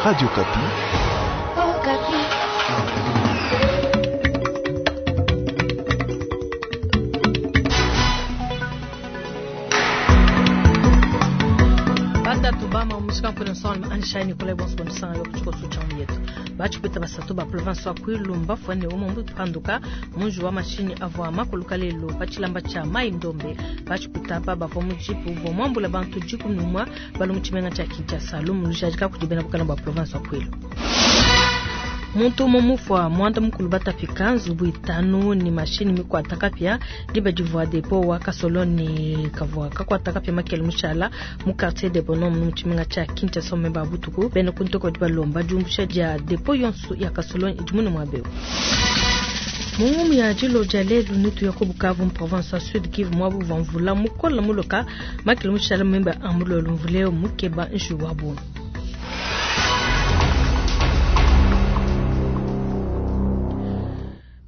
Radio Okapi. Batatu bama mushika mpona nsonga anshai Nicolas bonso bonisanga yo kuchikoso cha yetu bachipeta basatu ba province wa Kwilu mbafwane umwe mupanduka munju wa mashini avwa makuluka lelo pachilamba cha mai ndombe bachipeta pa bavwa mujipu vwa mwambula bantu jiku numwa balu muchimenga cha Kinshasa lumu lujajika kujibena bukana bwa province wa Kwilu. Muntu umwe mufwa mwanda mukulu batapika nzubu itanu ni mashini mikwata kapya diba divwa depo wa kasoloni kavwa kakwata kapya makele mushala mu quartier de Bonhomme mu tshimenga tsha Kinshasa memba butuku bene kuntoko diba lomba diumbusha dia depo yonso ya kasoloni idimune mwabeo. Mungu ya jilo ja lelu nutu ya Bukavu mu province ya Sud Kivu mwabu vamvula mukola muloka makele mushala memba amulolo mvuleo mukeba nshu wabo.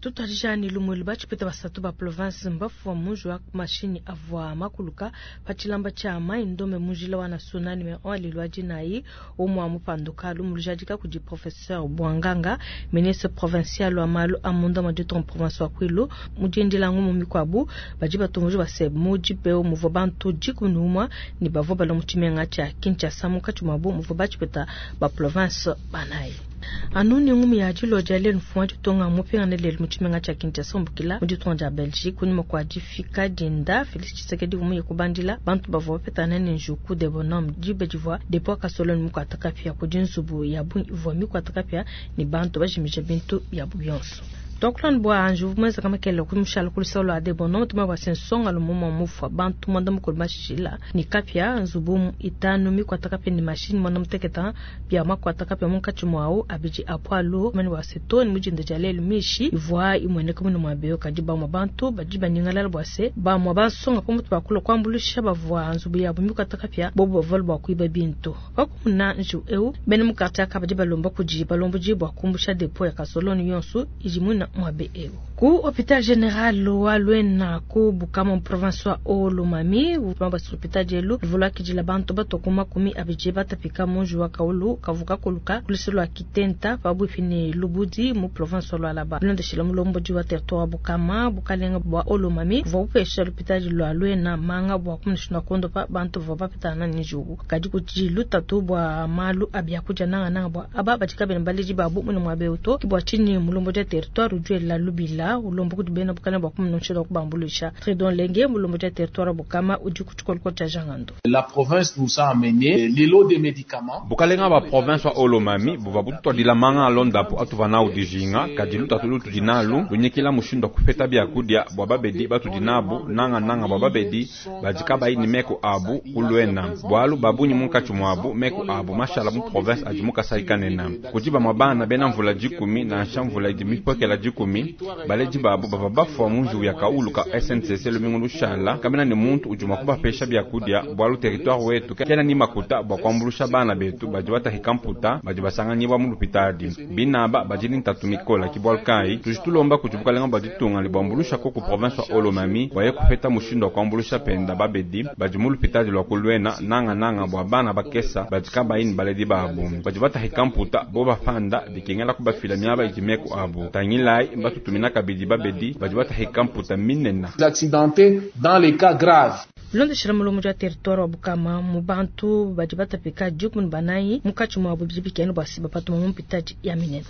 Tutwarijani lumwelu bachipeta basatu ba province mbafu munju wa mashini avwa makuluka pachilamba cha mai ndome mujila wa nationale me on lwa jinayi omwa mupanduka lumulujadika kudi professeur Bwanganga ministre provincial wa malu amunda majuto province wa Kwilu mujendila ngumu mikwabu baji batumuje base muji peo muvo bantu jikunumwa ni bavo balo muchimenga cha Kinshasa mukachi mwabu muvo bachipeta ba province banayi. Anuni ngumi ya jilo jale nfuwa jutonga mupingane lelu muchimenga cha Kinshasa mbukila muditonga ja Belgique kunyuma kwa jifika dinda Felix Tshisekedi umuye kubandila bantu bavwa bapetana ne njuku de bonhomme jibe jivwa depo kasoloni mukwataka pia kujinzubu ya bu ivwa mikwataka pia ni bantu bajimije bintu ya buyonso. Tokulan bwa anju mweza kama kele kumushala kulisolo ade bono tuma bwa sensonga lumomo mufwa bantu mwanda mukulu mashila ni kapya nzubu itanu mikwata kapya ni mashini mwanda muteketa bya makwata kapya munkachi mwao abiji apwalu mani wa setoni mujinde jalelu mishi ivwa imwene kumino mwabeo kajiba mwa bantu bajiba ningalala bwa se ba mwa bansonga pamutu bakula kwambulisha bavwa nzubu yabo mikwata kapya bobo bavalu bwa kuiba bintu pakumuna nju eu bene mukata kabajiba lomba kujiba lombo jibwa kumbusha depo ya kasoloni yonsu ijimuna mwabe ewo. Ku hopital general wa Luena ku Bukama province wa Olomami ubamba hopital jelu luvula kijila bantu batokuma kumi abije batapika munju wa kaulu kavuka kuluka kuliselo kitenta pabuipi ne Lubudi mu province wa Lualaba bilondeshela mulombo wa territoire Bukama bukalenga bwa Olomami vwa upesha hopital lwa Luena manga bwa kumnishina kondo pa bantu vwa bapitana nijugu kadi kujilu tatu bwa malu abya kuja nanga nanga bwa aba batika baleji babu mune mwabe uto kibwa chini mulombo ja territoire la lubila ulombo kudibena bukana bwa kumunonshela kubambulisha Tridon Lenge mulombo ja territoire Bukama udi kuchikolko cha Jangando. La province nous a amené les lots de médicaments. Bukalenga ba province wa Olomami buva bututwadila manga alondapo atuvana udijinga kadilu tatulu tudinalu lunyikila mushindo kupeta byakudia bwa babedi batudinabu nanga nanga bwa babedi bajika baini meko abu kulwena bwalu babunyi munkachi mwabu meko abu mashala mu province adi mukasaikanena kujiba mwabana bena mvula jikumi na nshamvula idi mipokela jikumi baleji babu bava bafwa munju ya kaulu ka SNCC lumingu lushala kamena ni muntu ujuma kubapesha byakudia bwalu territoire wetu kena ni makuta bwa kwambulusha bana betu baji batahika mputa baji basanganyibwa mu lupitadi binaba baji ni ntatu mikola kibwalu kai tujitulomba kujibukalenga baditunga libwambulusha ko ku province wa Olomami waye kupeta mushindo wa kwambulusha penda babedi baji mu lupitadi lwa kulwena nanga nanga bwa bana bakesa baji kabaini baledi babu baji batahika mputa bo bafanda bikengela kubafila miaba ijimeko abu tangilai batutumina kabidi babedi baji batahika mputa minena accidentés dans les cas graves. Bilondeshela mulomo ja territoire wa Bukama mu bantu baji batapika jukuni banayi mukachi mwabu bibikene bwa siba patuma mu mpitaji ya minena.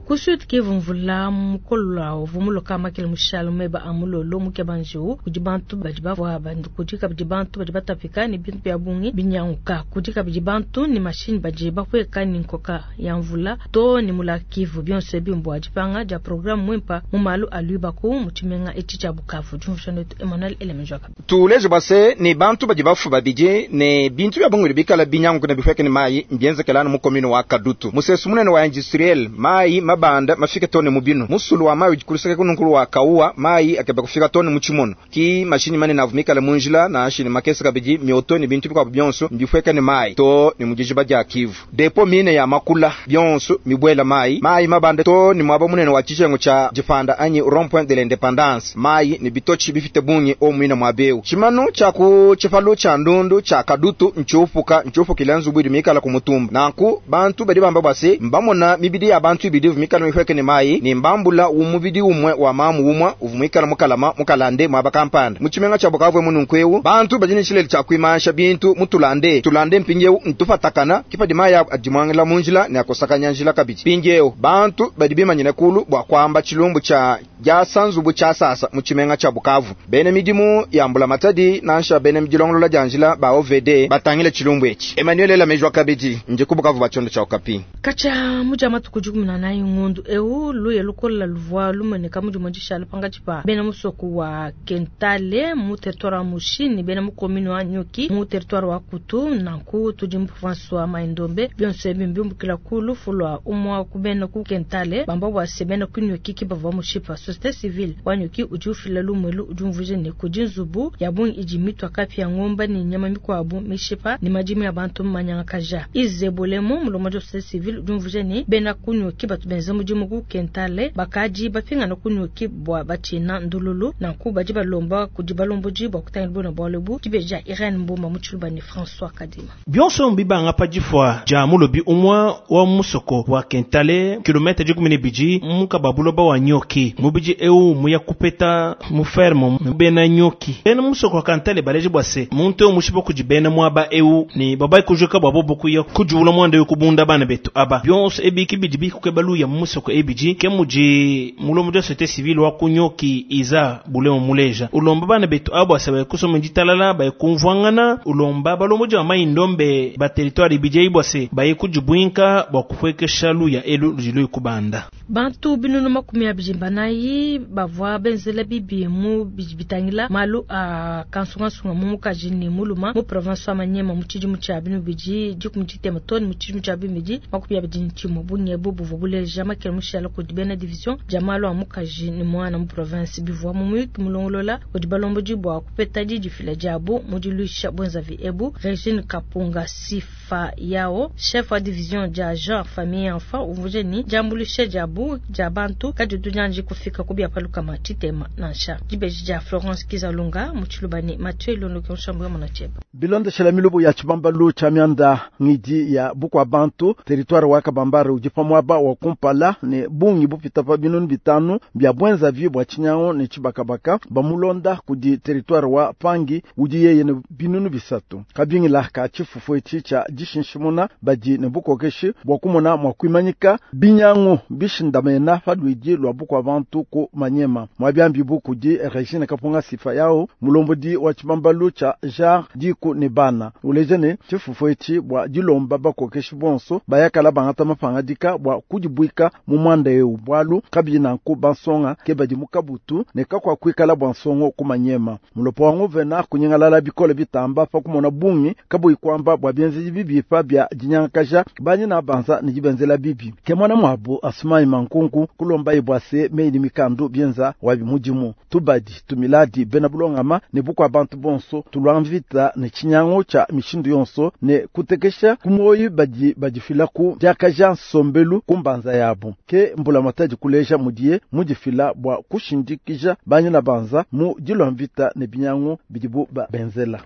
Ku Sud Kivu mvula mukolola vumuloka makele mushalo meba amulolo mukeba njiwu kudi bantu badi bavwa bandu kudi kabidi bantu badi batapika ni bintu bya bungi binyanguka kudi kabidi bantu ni mashini badi bakweka ni nkoka ya mvula to ni mula Kivu byonse bimbwa dipanga dia programme mwimpa mu malu aluibaku mu tshimenga etshi tshia Bukavu. Djumvushano wetu Emmanuel Elemenjwaka. Tuleje base ni bantu badi bafu babidi ne bintu bya bungi bikala binyanguka ne bikweka ni mayi mbienzekelana mu commune wa Kadutu musesu munene wa industriel mayi mabanda mafike too ne mu binu. Musulu wa mayi udi ku luseke kununku lua Kauwa, mayi akeba kufika too ne mu tshimono. Ki mashinyi manene avua mikale mu njila, nansha ne makese kabidi, mioto ne bintu bikuabu bionso mbipueke ne mayi too ne mu dijiba dia Kivu. Depo mine ya makula, bionso mibuela mayi. Mayi mabande too ne muaba munene wa tshijengu tshia dipanda anyi Rond-Point de l'Independance. Mayi ne bitotshi bipite bungi omu muine muaba eu. Tshimanu tshia ku tshipalu tshia ndundu tshia Kadutu ntshiupuka, ntshiupukile nzubu idi mikale ku mutumba. Nanku bantu badi bamba bua se, mbamona mibidi ya bantu ibidi ivua mikale mipueke ne mayi ne mbambula mubidi umue wa mamu umue uvua muikale mukalama mukalande muaba kampanda mu tshimenga tshia Bukavu emu. Nunku eu bantu badi ne tshilele tshia kuimansha bintu mu tulande tulande, mpindieu ntupatakana ke padi mayi adimuangila mu njila ne akosakanya njila kabidi. Mpindieu bantu badi bimanyine kulu bua kuamba tshilumbu tshia diasa nzubu tshiasasa mu tshimenga tshia Bukavu. Bena midimu ya mbulamatadi nansha bena dilongolola dia njila ba OVD batangile tshilumbu etshi. Emmanuel Elameji wa kabidi ndi ku Bukavu ba tshiondo tshia Okapi. Katshia mu dia matuku 14 ngondu eu, luya lukola luvua lumueneka mu dimue dishala pankatshi pa bena musoko wa Kentale mu territoire wa Mushi ne bena mu commune wa Nyuki mu territoire wa Kutu. Nanku tudi mu province wa Mai-Ndombe. Bionso ebi mbiumbukila ku lufu lua umue ku bena ku Kentale bamba bua se bena ku Nyuki ke bavua mushipa. Société civile wa Nyuki udi ufila lumu elu, udi umvuija ne kudi nzubu ya bungi idi mitua kapia, ngomba ne nyama mikuabu mishipa ne madimi a bantu manyangakaja. Izebolemo mulombodi wa société civile udi umvuija ne bena ku Nyuki batu benza mudimu ku Kentale bakadi bapingana ku Nyuki bua batshina ndululu. Nanku badi balomba kudi balombodi bua kutangila bona bualu ebu. Dibeji dia Irene Mbomba mu Tshiluba ne François Kadima. Bionso mbibanga pa difua dia mulobi umue wa musoko wa Kentale, kilomètre 12 muka ba buloba wa Nyoki. Mubidi eu muya kupeta mu ferme bena Nyoki. Bena musoko wa Kentale baleje bua se muntu eu mushipa kudi bena muaba eu ne babai kujuka bua bobo kuya kujuula muanda eu kubunda bana betu aba. Bionso ebi kibidi bikukeba luya mu musoko ebidi ke mudi mulomo wa société civile wa ku Nyoki iza bulemo muleja. Ulomba bana betu abo ase baye kusoma ditalala baye kumvuangana, ulomba balombodi ba Mai-Ndombe ba territoire ibidi eyi bua se baye kudibwinka bua kupuekesha luya elu ludi luyi kubanda. Bantu binunu 24 bavua benzela bibi mu bidi bitangila malu a kansungasunga mu mukaji ne muluma mu province wa Maniema mu tshidimu tshia 2013 too ne mu tshidimu tshia 2021. Bungi ebu buvua buleja makele mushala kudi bena division dia malu a mukaji ne muana mu province. Bivua mu muyuki mulongolola kudi balombodi bua kupeta didifila diabu mu diluisha buenzavi ebu. Regine Kapunga Sifa Yao, chef wa division dia genre famille enfant, umvuije ni diambuluisha diabu dia bantu kaditu dianji kufika ku biapalukama tshitema nansha. Dibeji dia Florence Kizalunga mu Tshiluba ne Mathieu Ilondoke Nshambu ya Monacheba. Bilondeshela milubu ya tshibambalu tshia mianda ngidi ya bukua bantu territoire wa Kabambare udi pa muaba wa kumpala ne bungi bupita pa 500 bia bwenzavi bua tshinyangu ne tshibakabaka bamulonda kudi territoire wa Pangi udi yeye ne 300. Kabingila ka tshifufu etshi tshia dishinshimuna badi ne bukokeshi bua kumona mua kuimanyika binyangu bishindamena pa luidi lua bukua bantu ku Manyema. Mwabiambi bu kudi Regine Kapunga Sifa yao mulombodi wa tshibambalu tshia genre diku ne bana uleje ne tshifufu etshi bua dilomba bakokeshi bonso bayakala bangata mapangadika bua kudibuika mu mwanda eu bwalu kabidi nanku bansonga ke badi mu kabutu ne kakwa kuikala bua nsongo ku Manyema. Mulopo wa nguvena kunyengalala bikole bitamba pa kumona bungi kabuyi kuamba bua bienzedi bibipa bia dinyangakaja banyi na banza ne dibenzela bibi. Ke mwana mwabu Asumai Mankunku kulomba ibwa se meyi mikandu bienza wabi mudimu tubadi tumiladi bena bulongama ne bukwa bantu bonso tulwa mvita ne tshinyangu tsha mishindu yonso ne kutekesha kumoyi badi badifila ku diakaja nsombelu kumbanza yabo. Ke mbula matadi kuleja mudiye mudifila bua kushindikija banyi na banza mu dilwa mvita ne binyangu bidibu ba benzela.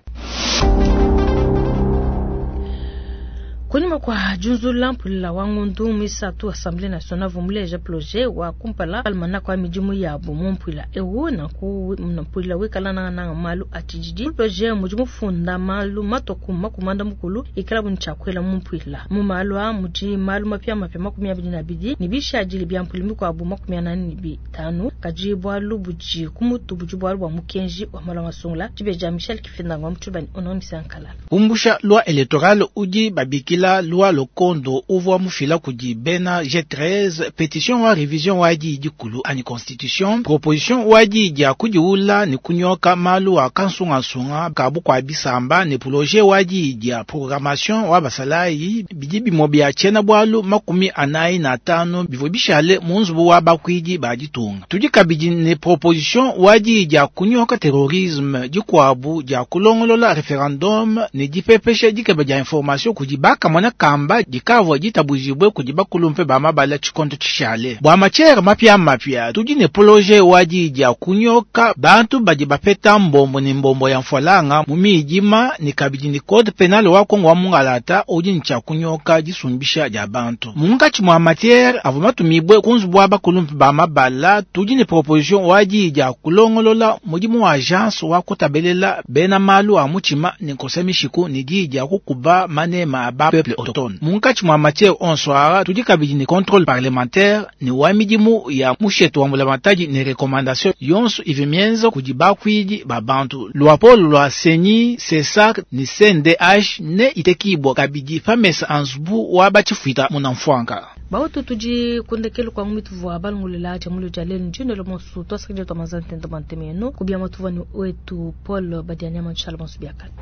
Kunyima kwa junzula mpulila wa ngundu misatu Assemblée nationale vumuleja projet wa kumpala almanaka wa midimu yabo mu mpwila ewu nanku mpulila wikala nanga malu atshididi. Projet mudi mufunda malu matoku makumanda mukulu ikala bunu tshiakwela mu mpwila mu malu a mudi malu mapia mapia 22 ne bishadili bia mpwila mikuabu 45 kadi bwalu budi kumutu budi bwalu bwa mukenji wa malu masungula dibeja Michel Kifindangwa mutshubani onomisa nkalala. Kumbusha loi électorale udi babikila. loi Lokondo uvwa mufila kudi bena G13, petition wa revision wa diyi dikulu anyi constitution, proposition wa diyi dia kudiula ne kunyoka malu a kansungasunga ka bukua bisamba ne projet wa diyi dia programmation wa basalayi bidi bimue bia tshiena-bualu 45 bivua bishale mu nzubu wa bakuidi ba ditunga. Tudi kabidi ne proposition wa diyi dia kunyoka terrorisme dikuabu dia kulongolola referendum ne dipepesha dikeba dia information kudi bakamona kamba dikavua ditabujibue kudi bakulumpe ba mabala tshikondo tshishale. Bua matière mapia mapia tudi ne projet wa diyi dia kunyoka bantu badi bapeta mbombo ne mbombo ya mfualanga mu midima ne kabidi ne code penal wa Kongo wa mungalata udi ne tshia kunyoka disumbisha dia bantu. Munkatshi mua matière avua matumibue ku nzubu wa bakulumpe ba mabala tudi ne proposition wa diyi dia kulongolola mudimu wa agence wa kutabelela bena malu a mutshima ne nkosa mishiku ne diyi dia kukuba manema a ba peuple autochtone. Munkatshi mua matière onso aa tudi kabidi ne contrôle parlementaire ne wa midimu ya mushetu wa mbulamatadi ne recommandation yonso ivua mienza kudi bakuidi ba bantu. Luapolo lua CENI, CSAC ne CNDH ne itekibua kabidi pa mesa a nzubu wa batshifuita munamfuanka. Bautu tudi kundekelu kwa ngumituvu balungulela dia mulu dia lelu ndinelo monsu twasakidila twa manza ntenta bua ntema yenu kubia matuvu ni wetu Paul Badianyama nshala bonso biakana.